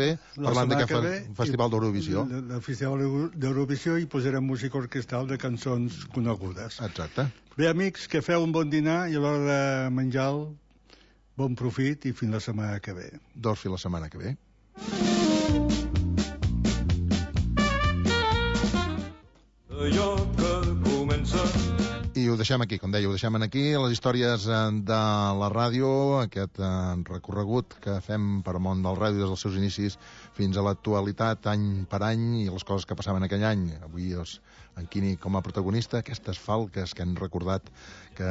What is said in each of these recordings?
que ve, parlant d'aquest Festival d'Eurovisió. El Festival d'Eurovisió i posarem música orquestral de cançons conegudes. Exacte. Bé, amics, que feu un bon dinar i a l'hora de menjar bon profit i fins la setmana que ve. Fins la setmana que ve. I ho deixem aquí, com deia, ho deixem aquí, les històries de la ràdio, aquest recorregut que fem per món del ràdio des dels seus inicis fins a l'actualitat, any per any, i les coses que passaven aquell any. Avui, en Quini com a protagonista, aquestes falques que han recordat que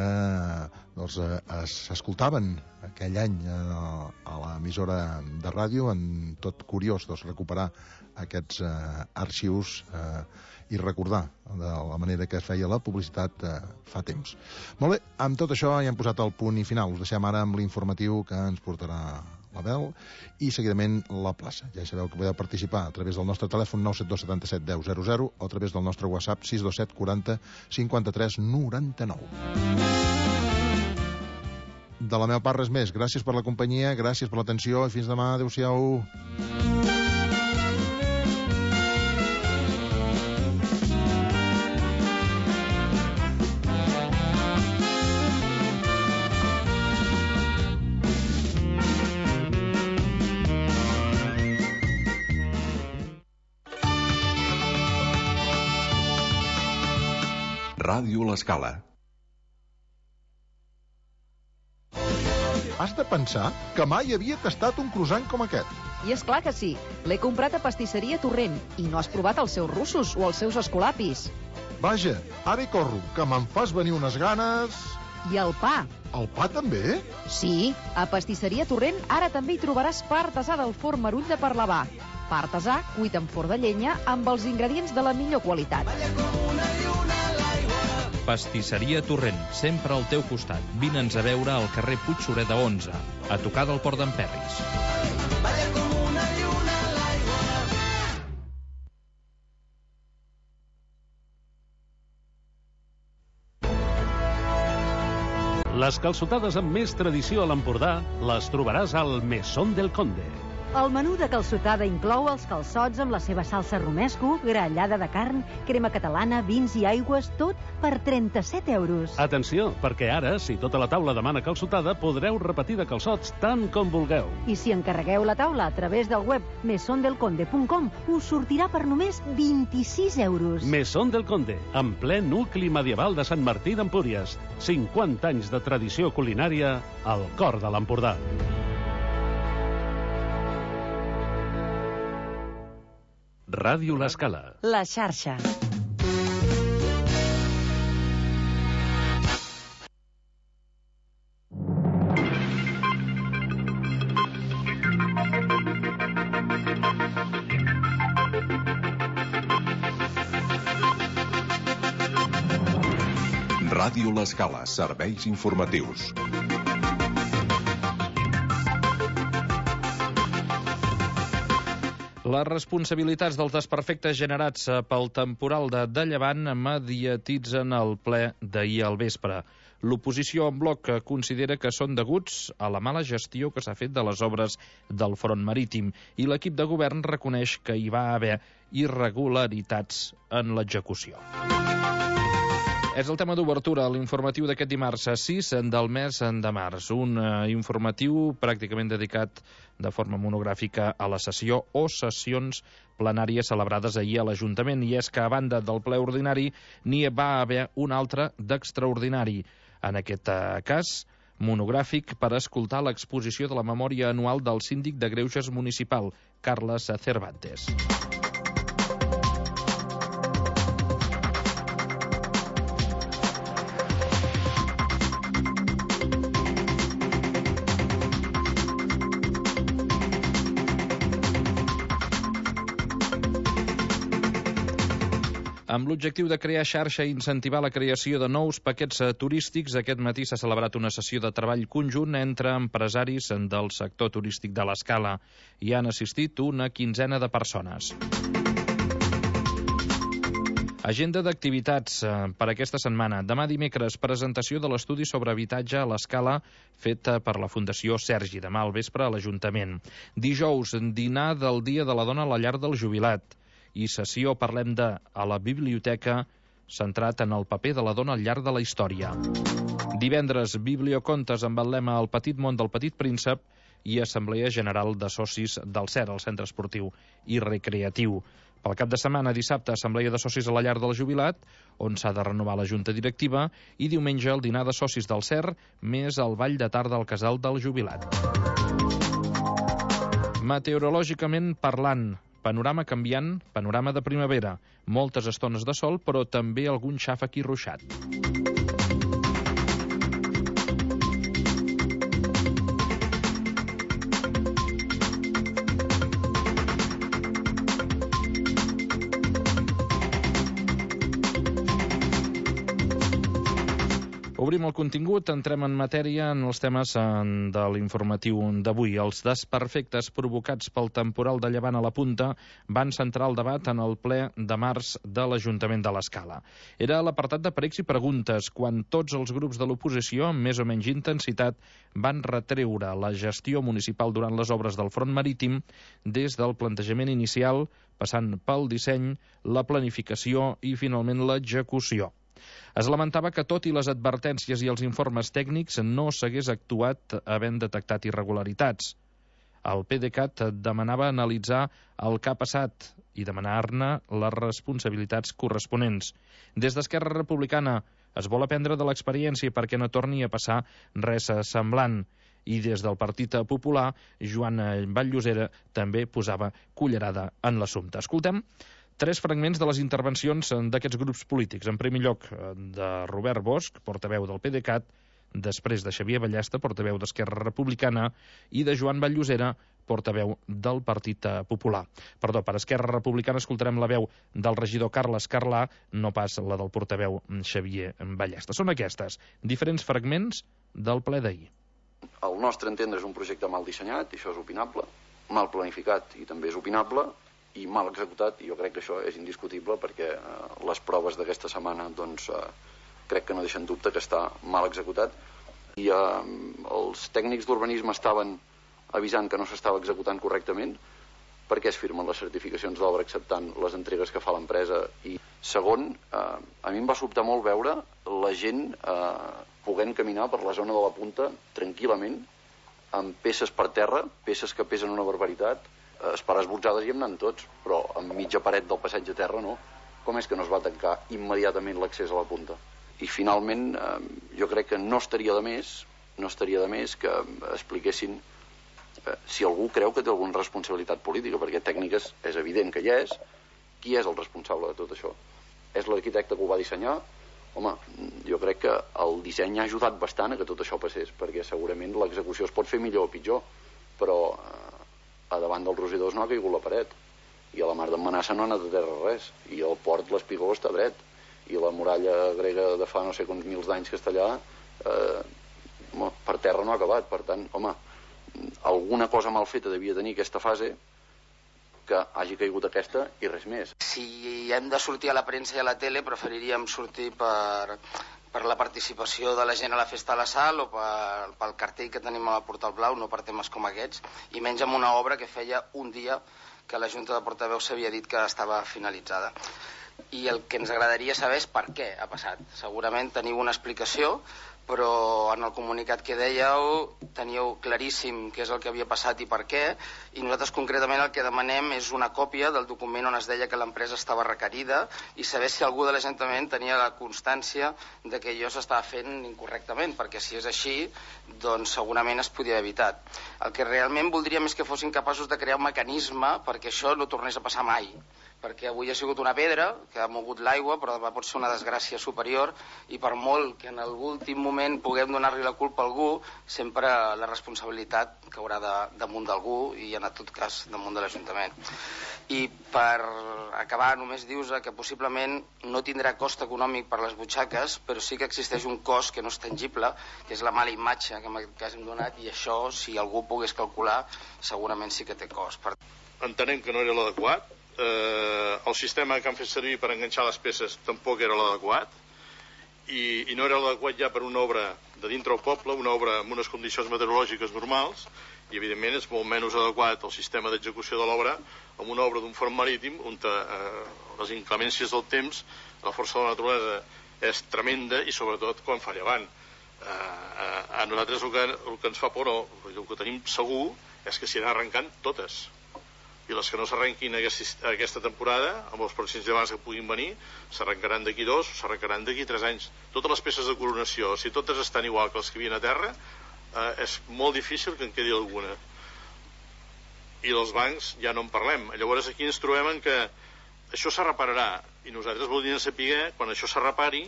s'escoltaven aquell any a l'emissora de ràdio. En tot curiós recuperar aquests arxius i recordar de la manera que es feia la publicitat fa temps. Molt bé, amb tot això ja hem posat el punt i final. Us deixem ara amb l'informatiu que ens portarà l'Abel i seguidament la plaça. Ja sabeu que podeu participar a través del nostre telèfon 972 77 10 00 o a través del nostre WhatsApp 627 40 53 99. De la meva part res més. Gràcies per la companyia, gràcies per l'atenció i fins demà. Adéu-siau. Ràdio L'Escala. Has de pensar que mai havia tastat un croissant com aquest. I és clar que sí. L'he comprat a Pastisseria Torrent i no has provat els seus russos o els seus escolapis. Vaja, ara hi corro, que me'n fas venir unes ganes... I el pa. El pa també? Sí, a Pastisseria Torrent ara també hi trobaràs pa artesà del forn Marull de Parlavà. Pa artesà cuit en forn de llenya amb els ingredients de la millor qualitat. Pastisseria Torrent, sempre al teu costat. Vine'ns a veure al carrer Puig Sureda 11, a tocar del Port d'en Perris. Les calçotades amb més tradició a l'Empordà les trobaràs al Mesón del Conde. El menú de calçotada inclou els calçots amb la seva salsa romesco, grallada de carn, crema catalana, vins i aigües, tot per 37 euros. Atenció, perquè ara, si tota la taula demana calçotada, podreu repetir de calçots tant com vulgueu. I si encarregueu la taula a través del web mesondelconde.com, us sortirà per només 26 euros. Mesón del Conde, en ple nucli medieval de Sant Martí d'Empúries. 50 anys de tradició culinària al cor de l'Empordà. Ràdio L'Escala. La xarxa. Ràdio L'Escala, serveis informatius. Les responsabilitats dels desperfectes generats pel temporal de Llevant mediatitzen el ple d'ahir al vespre. L'oposició en bloc considera que són deguts a la mala gestió que s'ha fet de les obres del front marítim i l'equip de govern reconeix que hi va haver irregularitats en l'execució. És el tema d'obertura, l'informatiu d'aquest dimarts 6 del mes de març. Un informatiu pràcticament dedicat de forma monogràfica a la sessió o sessions plenàries celebrades ahir a l'Ajuntament. I és que, a banda del ple ordinari, n'hi va haver un altre d'extraordinari. En aquest cas, monogràfic per escoltar l'exposició de la memòria anual del síndic de Greuges municipal, Carles Cervantes. Amb l'objectiu de crear xarxa i incentivar la creació de nous paquets turístics, aquest matí s'ha celebrat una sessió de treball conjunt entre empresaris del sector turístic de l'Escala. Hi han assistit una quinzena de persones. Agenda d'activitats per aquesta setmana. Demà dimecres, presentació de l'estudi sobre habitatge a l'Escala feta per la Fundació Sergi, demà al vespre a l'Ajuntament. Dijous, dinar del Dia de la Dona a la llar del jubilat. I sessió Parlem de a la biblioteca, centrat en el paper de la dona al llarg de la història. Divendres, bibliocontes amb el lema El petit món del petit príncep i Assemblea General de Socis del CER, el Centre Esportiu i Recreatiu. Pel cap de setmana, dissabte, Assemblea de Socis a la llar del jubilat, on s'ha de renovar la junta directiva, i diumenge el dinar de socis del CER, més el ball de tarda al casal del jubilat. Meteorològicament parlant, panorama canviant, panorama de primavera. Moltes estones de sol, però també algun xàfec i ruixat. Obrim el contingut, entrem en matèria en els temes de l'informatiu d'avui. Els desperfectes provocats pel temporal de llevant a la Punta van centrar el debat en el ple de març de l'Ajuntament de l'Escala. Era l'apartat de pregs i preguntes, quan tots els grups de l'oposició, amb més o menys intensitat, van retreure la gestió municipal durant les obres del front marítim des del plantejament inicial, passant pel disseny, la planificació i, finalment, l'execució. Es lamentava que, tot i les advertències i els informes tècnics, no s'hagués actuat havent detectat irregularitats. El PDeCAT demanava analitzar el que ha passat i demanar-ne les responsabilitats corresponents. Des d'Esquerra Republicana es vol aprendre de l'experiència perquè no torni a passar res semblant. I des del Partit Popular, Joan Vall-llosera també posava cullerada en l'assumpte. Escoltem 3 fragments de les intervencions d'aquests grups polítics. En primer lloc, de Robert Bosch, portaveu del PDeCAT, després de Xavier Ballesta, portaveu d'Esquerra Republicana, i de Joan Vall-llosera, portaveu del Partit Popular. Perdó, per Esquerra Republicana escoltarem la veu del regidor Carles Carlà, no pas la del portaveu Xavier Ballesta. Són aquestes, diferents fragments del ple d'ahir. Al nostre entendre és un projecte mal dissenyat, i això és opinable, mal planificat i també és opinable, i mal executat, i jo crec que això és indiscutible perquè les proves d'aquesta setmana crec que no deixen dubte que està mal executat, i els tècnics d'urbanisme estaven avisant que no s'estava executant correctament. Per què es firmen les certificacions d'obra acceptant les entregues que fa l'empresa? I segon, a mi em va sobtar molt veure la gent podent caminar per la zona de la Punta tranquil·lament, amb peces per terra, peces que pesen una barbaritat, esperar esbotzades i hem anat tots, però amb mitja paret del passeig de terra no. Com és que no es va tancar immediatament l'accés a la Punta? I finalment jo crec que no estaria de més que expliquessin si algú creu que té alguna responsabilitat política, perquè tècniques és evident que hi és. Qui és el responsable de tot això? És l'arquitecte que ho va dissenyar? Home, jo crec que el disseny ha ajudat bastant a que tot això passés, perquè segurament l'execució es pot fer millor o pitjor, però a davant dels rosidors no ha caigut la paret, i a la mar d'en Manassa no ha anat a terra res, i al port l'espigó està dret, i la muralla grega de fa no sé quants mils d'anys que està allà per terra no ha acabat. Per tant, home, alguna cosa mal feta devia tenir aquesta fase que hagi caigut aquesta i res més. Si hem de sortir a la premsa i a la tele, preferiríem sortir per la participació de la gent a la Festa de la Sal o pel cartell que tenim a la Portal Blau, no per temes com aquests, i menys amb una obra que feia un dia que la Junta de Portaveus s'havia dit que estava finalitzada. I el que ens agradaria saber és per què ha passat. Segurament teniu una explicació, però en el comunicat que dèieu teníeu claríssim què és el que havia passat i per què, i nosaltres concretament el que demanem és una còpia del document on es deia que l'empresa estava requerida i saber si algú de l'Ajuntament tenia la constància de que allò s'estava fent incorrectament, perquè si és així, doncs segurament es podia haver evitat. El que realment voldríem és que fossin capaços de crear un mecanisme perquè això no tornés a passar mai, perquè avui ha sigut una pedra que ha mogut l'aigua, però demà pot ser una desgràcia superior, i per molt que en l'últim moment puguem donar-li la culpa a algú, sempre la responsabilitat caurà damunt d'algú i en tot cas damunt de l'Ajuntament. I per acabar només dius que possiblement no tindrà cost econòmic per les butxaques, però sí que existeix un cost que no és tangible, que és la mala imatge que en aquest cas hem donat, i això, si algú pogués calcular, segurament sí que té cost. Entenem que no era l'adequat, el sistema que han fet servir per enganxar les peces tampoc era l'adequat, i no era l'adequat ja per una obra de dintre el poble, una obra amb unes condicions meteorològiques normals, i evidentment és molt menys adequat el sistema d'execució de l'obra amb una obra d'un front marítim on les inclemències del temps, la força de la naturalesa és tremenda, i sobretot quan fa llevant. A nosaltres el que ens fa por, el que tenim segur, és que s'hi han arrencant totes, i les que no s'arrenquin aquesta temporada, amb els pròxims llevants que puguin venir, s'arrencaran d'aquí 2 o s'arrencaran d'aquí 3 anys. Totes les peces de coronació, si totes estan igual que les que hi havia a terra, és molt difícil que en quedi alguna. I dels bancs ja no en parlem. Llavors aquí ens trobem en que això se repararà, i nosaltres voldríem saber, quan això se repari,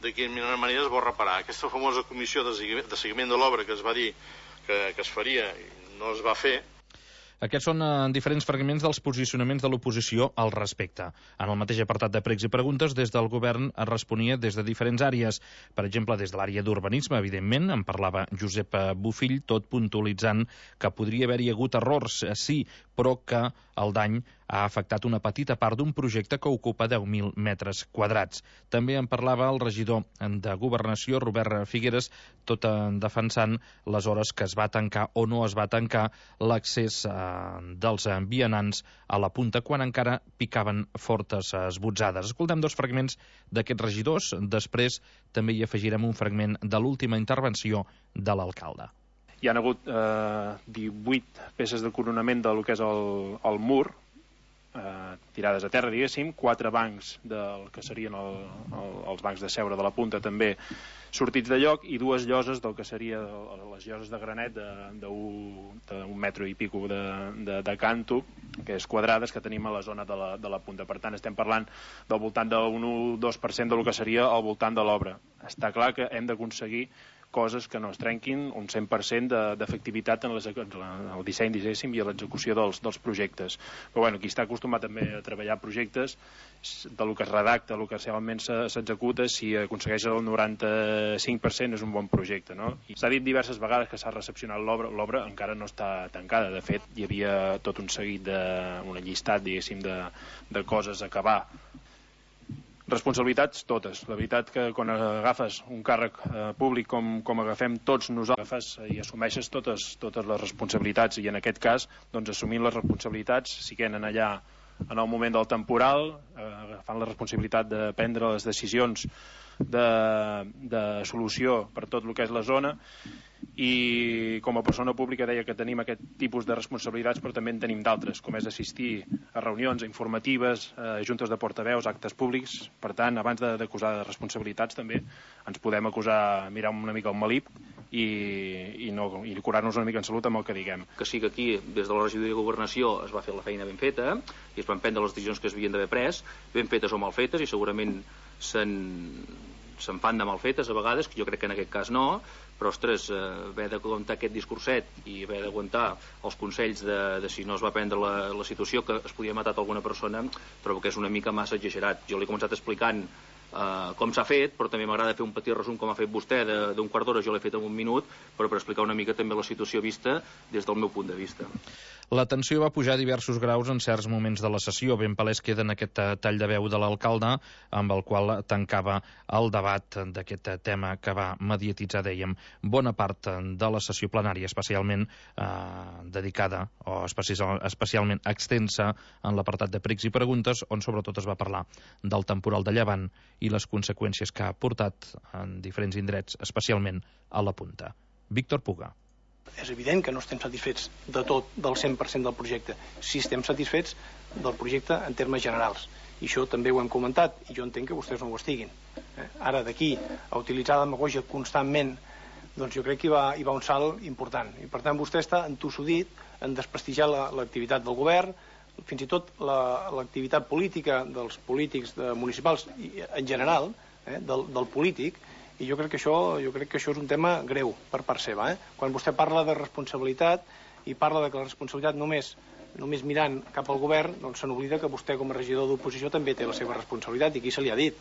de quina manera es vol reparar. Aquesta famosa comissió de seguiment de l'obra que es va dir que es faria i no es va fer. Aquests són diferents fragments dels posicionaments de l'oposició al respecte. En el mateix apartat de pregs i preguntes, des del govern es responia des de diferents àrees. Per exemple, des de l'àrea d'urbanisme, evidentment, en parlava Josep Bofill, tot puntualitzant que podria haver-hi hagut errors, sí, però que el dany ha afectat una petita part d'un projecte que ocupa 10.000 metres quadrats. També en parlava el regidor de Governació, Robert Figueres, tot defensant les hores que es va tancar o no es va tancar l'accés dels vianants a la punta quan encara picaven fortes esbotzades. Escoltem 2 fragments d'aquests regidors, després també hi afegirem un fragment de l'última intervenció de l'alcalde. Hi ha hagut 18 peces de coronament del que és el mur, tirades a terra, diguéssim, 4 bancs del que serien els bancs de seure de la punta també sortits de lloc, i 2 lloses del que seria les lloses de granet d'un metro i pico de canto, que és quadrades, que tenim a la zona de la punta. Per tant, estem parlant del voltant d'un 1-2% del que seria al voltant de l'obra. Està clar que hem d'aconseguir coses que no es trenquin, un 100% d'efectivitat en el disseny, diguéssim, i a l'execució dels projectes. Però bueno, qui està acostumat també a treballar projectes, del que es redacta, del que realment s'executa, si aconsegueix el 95% és un bon projecte, no? S'ha dit diverses vegades que s'ha recepcionat l'obra encara no està tancada. De fet, hi havia tot un seguit un llistat, diguéssim, de coses a acabar. Responsabilitats, totes. La veritat que quan agafes un càrrec públic com agafem tots nosaltres, i assumeixes totes les responsabilitats, i en aquest cas, doncs, assumint les responsabilitats, siguent allà en el moment del temporal, agafant la responsabilitat de prendre les decisions de solució per tot el que és la zona, i com a persona pública deia que tenim aquest tipus de responsabilitats, però també en tenim d'altres, com és assistir a reunions informatives, a juntes de portaveus, actes públics. Per tant, abans d'acusar de responsabilitats també ens podem acusar, mirar una mica el malip i curar-nos una mica en salut amb el que diguem. Que sí que aquí, des de la regidoria de Governació, es va fer la feina ben feta i es van prendre les decisions que es havien d'haver pres, ben fetes o mal fetes, i segurament se'n fan de mal fetes a vegades, que jo crec que en aquest cas no, però ostres, haver d'aguantar aquest discurset i haver d'aguantar els consells de si no es va prendre la situació, que es podia matar alguna persona, trobo que és una mica massa exagerat. Jo l'he començat explicant com s'ha fet, però també m'agrada fer un petit resum com ha fet vostè d'un quart d'hora. Jo l'he fet en un minut, però per explicar una mica també la situació vista des del meu punt de vista. La tensió va pujar a diversos graus en certs moments de la sessió. Ben palès queda en aquest tall de veu de l'alcalde, amb el qual tancava el debat d'aquest tema que va mediatitzar, dèiem, bona part de la sessió plenària, especialment dedicada o especialment extensa en l'apartat de pregs i preguntes, on sobretot es va parlar del temporal de llevant i les conseqüències que ha portat en diferents indrets, especialment a la punta. Víctor Puga. És evident que no estem satisfets de tot, del 100% del projecte. Sí estem satisfets del projecte en termes generals. I això també ho hem comentat, i jo entenc que vostès no ho estiguin. Ara, d'aquí a utilitzar la demagògia constantment, doncs jo crec que hi va un salt important. I per tant vostè està entossudit en desprestigiar l'activitat del govern, fins i tot l'activitat política dels polítics municipals en general, del polític. I jo crec que això és un tema greu per part seva. Quan vostè parla de responsabilitat i parla de que la responsabilitat només mirant cap al govern, doncs se n'oblida que vostè com a regidor d'oposició també té la seva responsabilitat, i aquí se li ha dit.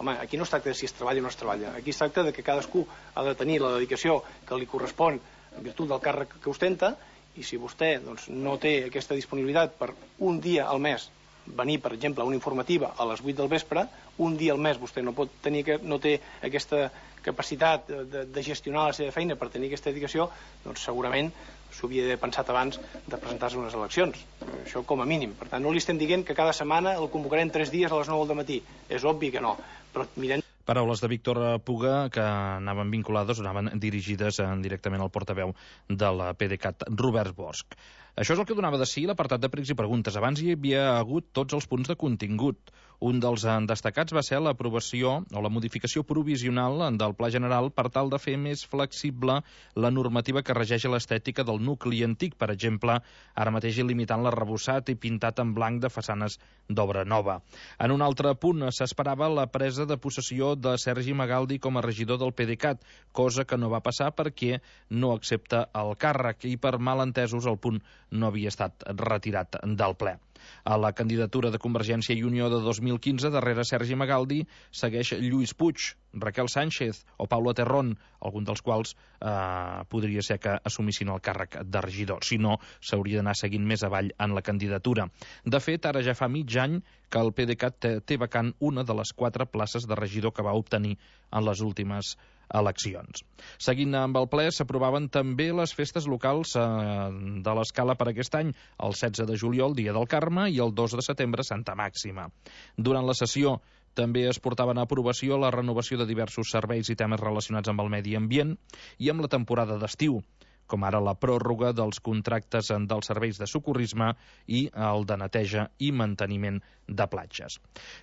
Home, aquí no es tracta de si es treballa o no es treballa, aquí es tracta de que cadascú ha de tenir la dedicació que li correspon en virtut del càrrec que ostenta, i si vostè no té aquesta disponibilitat per un dia al mes venir, per exemple, a una informativa a les 8 del vespre, un dia al mes vostè no té aquesta capacitat de gestionar la seva feina per tenir aquesta dedicació, doncs segurament s'ho havia d'haver pensat abans de presentar-se unes eleccions. Això com a mínim. Per tant, no li estem dient que cada setmana el convocarem 3 dies a les 9 del matí. És obvi que no. Però mirem... Paraules de Víctor Puga que anaven vinculades o anaven dirigides directament al portaveu de la PDeCAT, Robert Bosch. Això és el que donava de si l'apartat de pregs i preguntes. Abans hi havia hagut tots els punts de contingut. Un dels destacats va ser l'aprovació o la modificació provisional del Pla General per tal de fer més flexible la normativa que regeix l'estètica del nucli antic, per exemple, ara mateix limitant l'arrebossat i pintat en blanc de façanes d'obra nova. En un altre punt s'esperava la presa de possessió de Sergi Magaldi com a regidor del PDeCAT, cosa que no va passar perquè no accepta el càrrec i per malentesos el punt no havia estat retirat del ple. A la candidatura de Convergència i Unió de 2015, darrere Sergi Magaldi, segueix Lluís Puig, Raquel Sánchez o Paula Terrón, algun dels quals podria ser que assumissin el càrrec de regidor. Si no, s'hauria d'anar seguint més avall en la candidatura. De fet, ara ja fa mig any que el PDeCAT té vacant una de les 4 places de regidor que va obtenir en les últimes eleccions. Seguint amb el ple, s'aprovaven també les festes locals de l'Escala per aquest any, el 16 de juliol, Dia del Carme, i el 2 de setembre, Santa Màxima. Durant la sessió també es portaven a aprovació la renovació de diversos serveis i temes relacionats amb el medi ambient i amb la temporada d'estiu, com ara la pròrroga dels contractes dels serveis de socorrisme i el de neteja i manteniment de platges.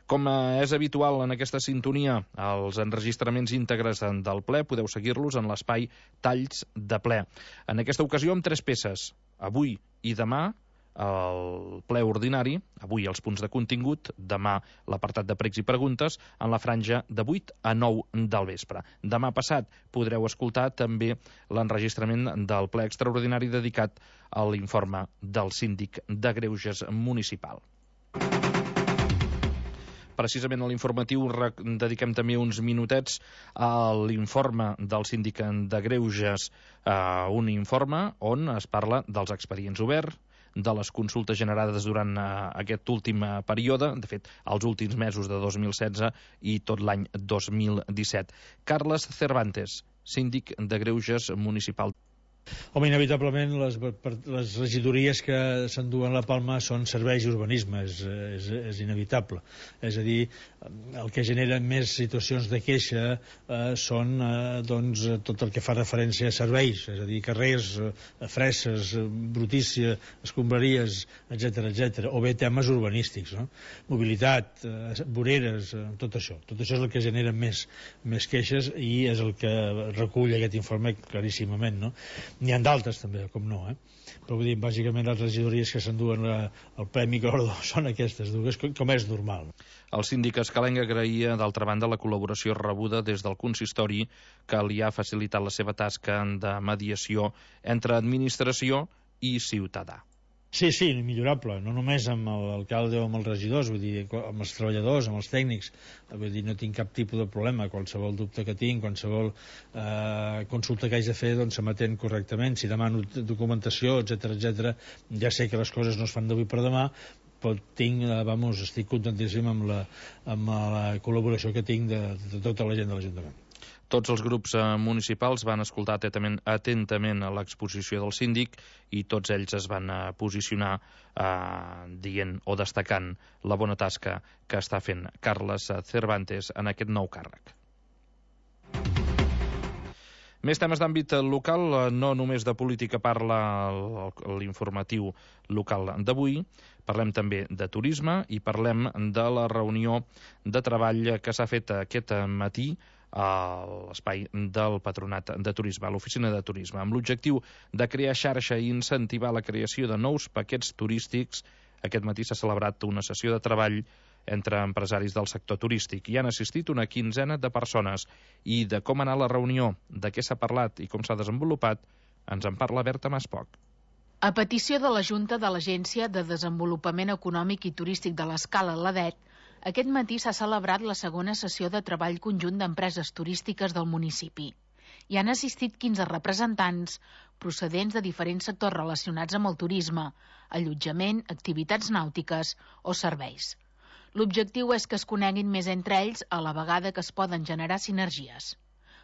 Com és habitual en aquesta sintonia, els enregistraments íntegres del ple podeu seguir-los en l'espai Talls de ple. En aquesta ocasió amb 3 peces, avui i demà, el ple ordinari, avui els punts de contingut, demà l'apartat de pregs i preguntes, en la franja de 8 a 9 del vespre. Demà passat podreu escoltar també l'enregistrament del ple extraordinari dedicat a l'informe del síndic de Greuges municipal. Precisament a l'informatiu dediquem també uns minutets a l'informe del síndic de Greuges, un informe on es parla dels expedients oberts, de les consultes generades durant aquest últim període, de fet, els últims mesos de 2016 i tot l'any 2017. Carles Cervantes, síndic de Greuges municipal. Home, inevitablement les regidories que s'enduen la palma són serveis i urbanisme, és inevitable. És a dir, el que genera més situacions de queixa són doncs, tot el que fa referència a serveis, és a dir, carrers, fresses, brutícia, escombraries, etc., o bé temes urbanístics, no? Mobilitat, voreres, tot això. Tot això és el que genera més queixes i és el que recull aquest informe claríssimament, no? N'hi ha d'altres també, com no, però vull dir, bàsicament les regidories que s'enduen el Premi Cordó són aquestes dues, com és normal. El síndic escalenc agraïa, d'altra banda, la col·laboració rebuda des del consistori que li ha facilitat la seva tasca de mediació entre administració i ciutadà. Sí, millorable, no només amb l'alcalde o amb els regidors, vull dir, amb els treballadors, amb els tècnics, vull dir, no tinc cap tipus de problema, qualsevol dubte que tinc, qualsevol consulta que haig de fer, doncs s'emetent correctament, si demano documentació, etc., ja sé que les coses no es fan d'avui per demà, però estic contentíssim amb la col·laboració que tinc de tota la gent de l'Ajuntament. Tots els grups municipals van escoltar atentament l'exposició del síndic i tots ells es van posicionar dient o destacant la bona tasca que està fent Carles Cervantes en aquest nou càrrec. Més temes d'àmbit local, no només de política parla l'informatiu local d'avui, parlem també de turisme i parlem de la reunió de treball que s'ha fet aquest matí a l'espai del Patronat de Turisme, a l'Oficina de Turisme, amb l'objectiu de crear xarxa i incentivar la creació de nous paquets turístics. Aquest matí s'ha celebrat una sessió de treball entre empresaris del sector turístic. Hi han assistit una 15ena de persones i de com ha anat la reunió, de què s'ha parlat i com s'ha desenvolupat, ens en parla Berta Maspoc. A petició de la Junta de l'Agència de Desenvolupament Econòmic i Turístic de l'Escala, l'ADET, aquest matí s'ha celebrat la segona sessió de treball conjunt d'empreses turístiques del municipi. Hi han assistit 15 representants procedents de diferents sectors relacionats amb el turisme, allotjament, activitats nàutiques o serveis. L'objectiu és que es coneguin més entre ells a la vegada que es poden generar sinergies.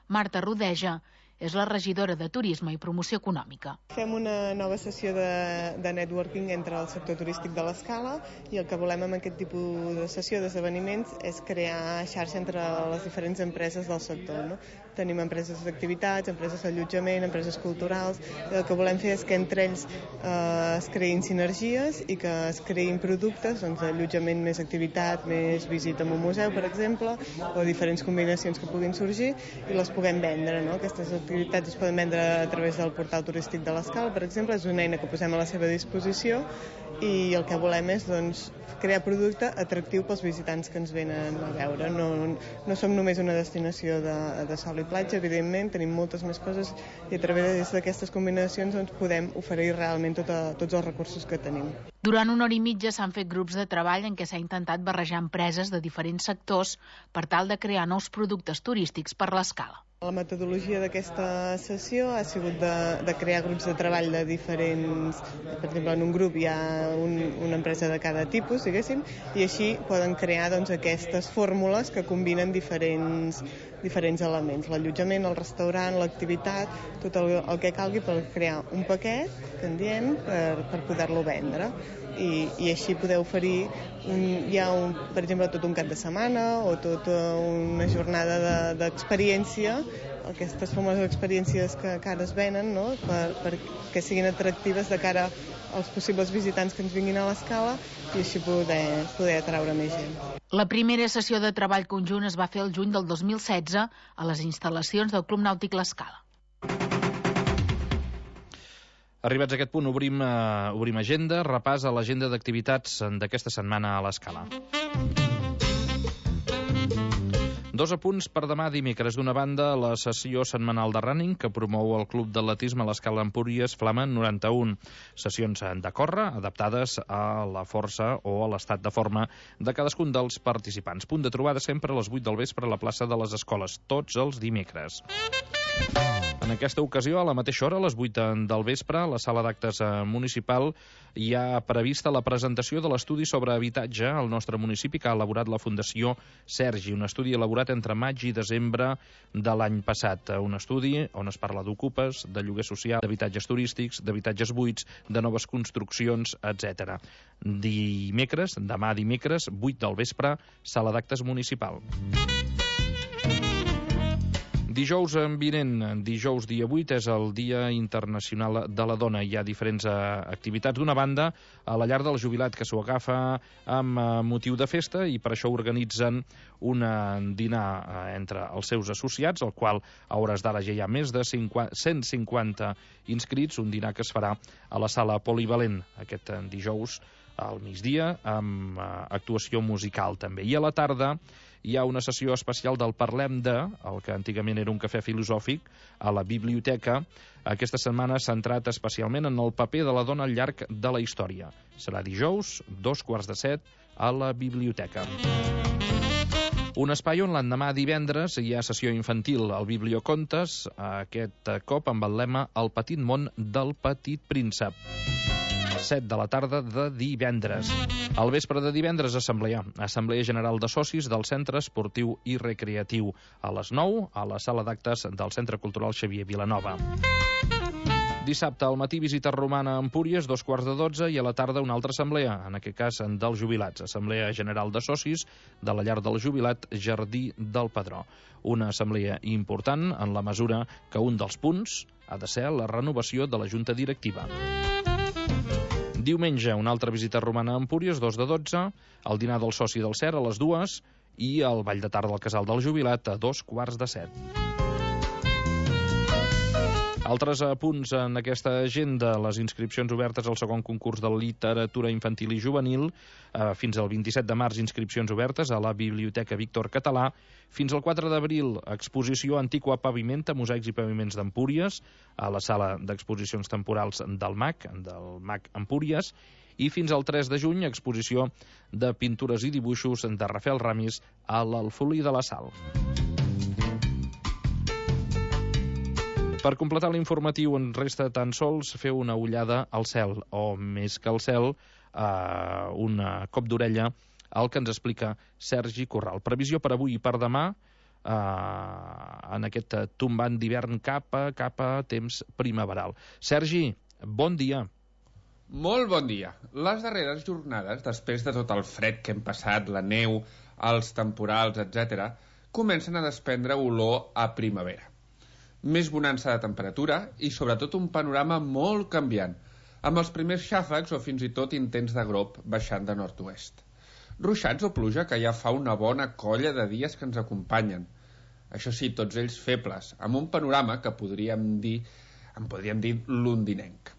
Marta Rodeja és la regidora de Turisme i Promoció Econòmica. Fem una nova sessió de networking entre el sector turístic de l'Escala i el que volem amb aquest tipus de sessió d'esdeveniments és crear xarxa entre les diferents empreses del sector. No? Tenim empreses d'activitats, empreses d'allotjament, empreses culturals, i el que volem fer és que entre ells es creïn sinergies i que es creïn productes, doncs allotjament més activitat, més visita a un museu, per exemple, o diferents combinacions que puguin sorgir i les puguem vendre, no? Aquestes activitats es poden vendre a través del portal turístic de l'Escala, per exemple, és una eina que posem a la seva disposició i el que volem és crear producte atractiu pels visitants que ens venen a veure. No som només una destinació de sol i platja, evidentment, tenim moltes més coses i a través d'aquestes combinacions podem oferir realment tots els recursos que tenim. Durant una hora i mitja s'han fet grups de treball en què s'ha intentat barrejar empreses de diferents sectors per tal de crear nous productes turístics per l'Escala. La metodologia d'aquesta sessió ha sigut de crear grups de treball de diferents... Per exemple, en un grup hi ha una empresa de cada tipus, diguéssim, i així poden crear aquestes fórmules que combinen diferents elements. L'allotjament, el restaurant, l'activitat, tot el que calgui per crear un paquet, que en diem, per poder-lo vendre. I així poder oferir per exemple, tot un cap de setmana o tota una jornada d'experiència, aquestes famoses experiències que ara es venen, no? perquè siguin atractives de cara als possibles visitants que ens vinguin a l'Escala i així poder atraure més gent. La primera sessió de treball conjunt es va fer el juny del 2016 a les instal·lacions del Club Nàutic l'Escala. Arribats a aquest punt, obrim agenda, repàs a l'agenda d'activitats d'aquesta setmana a l'Escala. 2 apunts per demà dimecres. D'una banda, la sessió setmanal de running que promou el Club d'Atletisme a l'Escala Empúries Flama 91. Sessions de córrer adaptades a la força o a l'estat de forma de cadascun dels participants. Punt de trobada sempre a les 8 del vespre a la plaça de les Escoles, tots els dimecres. En aquesta ocasió, a la mateixa hora, a les 8 del vespre, a la sala d'actes municipal, hi ha prevista la presentació de l'estudi sobre habitatge al nostre municipi que ha elaborat la Fundació Sergi, un estudi elaborat entre maig i desembre de l'any passat. Un estudi on es parla d'ocupes, de lloguer social, d'habitatges turístics, d'habitatges buits, de noves construccions, etc. Demà dimecres, 8 del vespre, sala d'actes municipal. Dijous vinent, dijous dia 8, és el Dia Internacional de la Dona. Hi ha diferents activitats. D'una banda, a la llar del jubilat, que s'ho agafa amb motiu de festa i per això organitzen un dinar entre els seus associats, el qual a hores d'ara ja hi ha més de 150 inscrits, un dinar que es farà a la sala polivalent aquest dijous al migdia, amb actuació musical també. I a la tarda hi ha una sessió especial del Parlem de, el que antigament era un cafè filosòfic, a la biblioteca. Aquesta setmana s'ha centrat especialment en el paper de la dona al llarg de la història. Serà dijous, 6:45, a la biblioteca. Un espai on l'endemà divendres hi ha sessió infantil al Bibliocontes, aquest cop amb el lema El petit món del petit príncep. 7 de la tarda de divendres. Al vespre de divendres, Assemblea General de Socis del Centre Esportiu i Recreatiu. A les 9, a la sala d'actes del Centre Cultural Xavier Vilanova. Dissabte al matí, visita romana a Empúries, 11:45, i a la tarda una altra assemblea, en aquest cas dels jubilats. Assemblea General de Socis de la llar del jubilat Jardí del Padró. Una assemblea important en la mesura que un dels punts ha de ser la renovació de la Junta Directiva. Diumenge, una altra visita romana a Empúries, 2:12, el dinar del soci del CER a les 2 i el ball de tarda al Casal del Jubilat a 6:45. Altres punts en aquesta agenda: les inscripcions obertes al segon concurs de literatura infantil i juvenil, fins al 27 de març inscripcions obertes a la Biblioteca Víctor Català, fins al 4 d'abril exposició Antiqua Pavimenta, mosaics i paviments d'Empúries, a la sala d'exposicions temporals del MAC Empúries, i fins al 3 de juny exposició de pintures i dibuixos de Rafael Ramis a l'Alfolí de la Sal. Per completar l'informatiu en resta tan sols fer una ullada al cel, o més que al cel, un cop d'orella al que ens explica Sergi Corral. Previsió per avui i per demà, en aquest tombant d'hivern cap a temps primaveral. Sergi, bon dia. Molt bon dia. Les darreres jornades, després de tot el fred que hem passat, la neu, els temporals, etc., comencen a desprendre olor a primavera. Més bonança de temperatura i sobretot un panorama molt canviant, amb els primers xàfecs o fins i tot intents de grop baixant de nord-oest. Ruixats o pluja que ja fa una bona colla de dies que ens acompanyen. Això sí, tots ells febles, amb un panorama que podríem dir londinenc.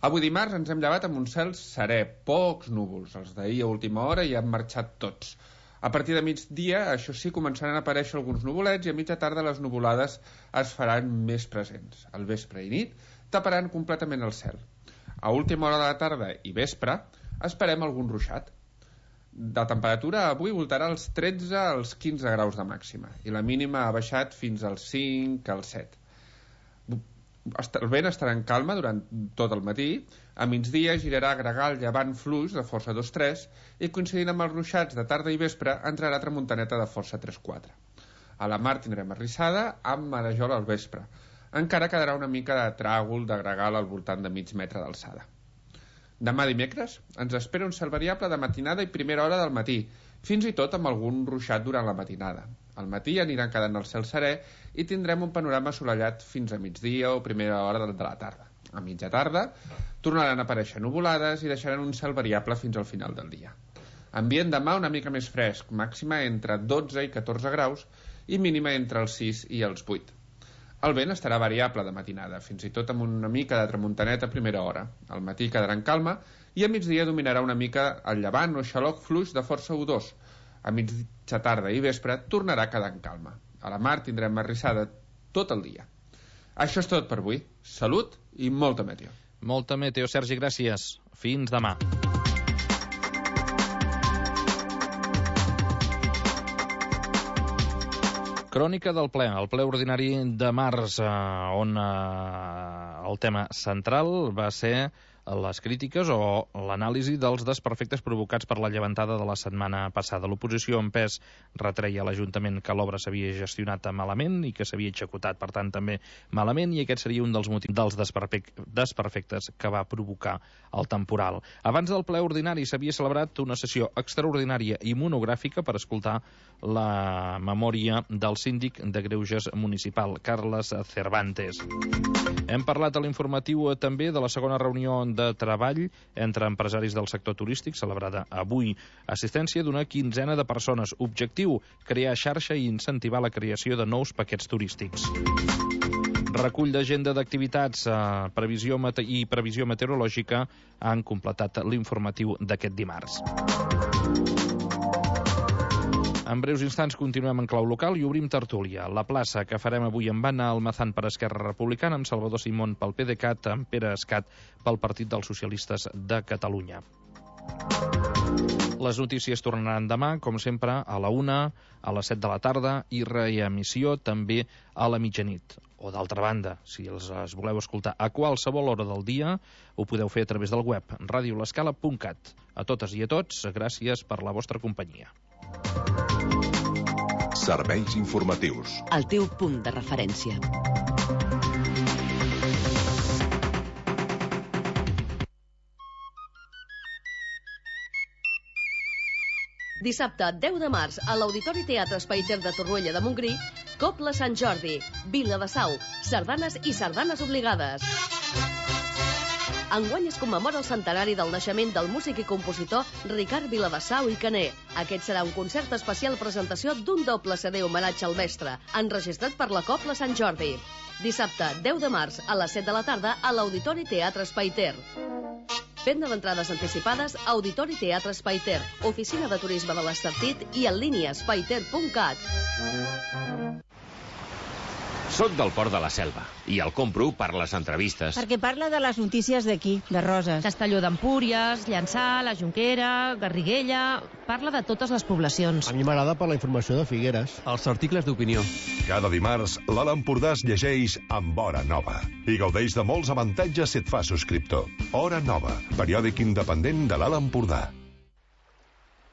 Avui dimarts ens hem llevat amb un cel serè, pocs núvols. Els d'ahir a última hora ja han marxat tots. A partir de migdia, això sí, començaran a aparèixer alguns nuvolets i a mitja tarda les nuvolades es faran més presents. Al vespre i nit taparan completament el cel. A última hora de la tarda i vespre esperem algun ruixat. La temperatura avui voltarà als 13 als 15 graus de màxima i la mínima ha baixat fins als 5 als 7. El vent estarà en calma durant tot el matí, a migdia girarà a gregal llevant fluix de força 2-3 i coincidint amb els ruixats de tarda i vespre entrarà tramuntaneta de força 3-4. A la mar tindrem arrissada amb marejol al vespre. Encara quedarà una mica de tràgol de gregal al voltant de mig metre d'alçada. Demà dimecres ens espera un cel variable de matinada i primera hora del matí, fins i tot amb algun ruixat durant la matinada. Al matí aniran quedant el cel serè i tindrem un panorama assolellat fins a migdia o primera hora de la tarda. A mitja tarda tornaran a aparèixer nuvolades i deixaran un cel variable fins al final del dia. Ambient demà una mica més fresc, màxima entre 12 i 14 graus i mínima entre els 6 i els 8. El vent estarà variable de matinada, fins i tot amb una mica de tramuntaneta a primera hora. Al matí quedarà en calma i a migdia dominarà una mica el llevant o xaloc fluix de força U2. A mitja tarda i vespre tornarà a quedar en calma. A la mar tindrem arrissada tot el dia. Això és tot per avui. Salut i molta meteo. Molta meteo, Sergi, gràcies. Fins demà. Crònica del ple, el ple ordinari de març, on el tema central va ser les crítiques o l'anàlisi dels desperfectes provocats per la llevantada de la setmana passada. L'oposició en pes retreia a l'Ajuntament que l'obra s'havia gestionat malament i que s'havia executat, per tant, també malament, i aquest seria un dels motius dels desperfectes que va provocar el temporal. Abans del ple ordinari s'havia celebrat una sessió extraordinària i monogràfica per escoltar la memòria del síndic de Greuges municipal, Carles Cervantes. Hem parlat a l'informatiu també de la segona reunió de treball entre empresaris del sector turístic, celebrada avui. Assistència d'una quinzena de persones. Objectiu, crear xarxa i incentivar la creació de nous paquets turístics. Recull d'agenda d'activitats i previsió meteorològica han completat l'informatiu d'aquest dimarts. En breus instants continuem en clau local i obrim tertúlia. La plaça que farem avui amb Anna Almazán per Esquerra Republicana, amb Salvador Simón pel PDeCAT, amb Pere Escat pel Partit dels Socialistes de Catalunya. Les notícies tornaran demà, com sempre, a la 1, a les 7 de la tarda i reemissió també a la mitjanit. O d'altra banda, si els voleu escoltar a qualsevol hora del dia, ho podeu fer a través del web radiolescala.cat. A totes i a tots, gràcies per la vostra companyia. Serveis informatius. El teu punt de referència. Dissabte, 10 de març, a l'Auditori Teatre Espaiter de Torroella de Montgrí, Cobla Sant Jordi, Vila de Sau, sardanes i sardanes obligades. Enguany es commemora el centenari del naixement del músic i compositor Ricard Viladesau i Caner. Aquest serà un concert especial presentació d'un doble CD homenatge al mestre, enregistrat per la Cobla Sant Jordi. Dissabte, 10 de març, a les 7 de la tarda, a l'Auditori Teatre Espaiter. Venda d'entrades anticipades, Auditori Teatre Espaiter, Oficina de Turisme de l'Estartit i en línia espaiter.cat. Soc del Port de la Selva i el compro per les entrevistes. Perquè parla de les notícies d'aquí, de Roses. Castelló d'Empúries, Llançà, la Jonquera, Garriguella... Parla de totes les poblacions. A mi m'agrada per la informació de Figueres. Els articles d'opinió. Cada dimarts, l'Alt Empordà es llegeix amb Hora Nova i gaudeix de molts avantatges si et fa subscriptor. Hora Nova, periòdic independent de l'Alt Empordà.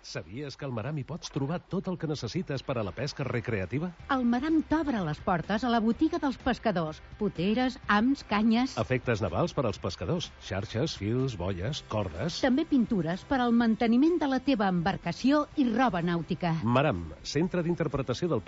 Sabies que al Maram hi pots trobar tot el que necessites per a la pesca recreativa? El Maram t'obre les portes a la botiga dels pescadors. Poteres, hams, canyes... Efectes navals per als pescadors. Xarxes, fils, bolles, cordes... També pintures per al manteniment de la teva embarcació i roba nàutica. Maram, centre d'interpretació del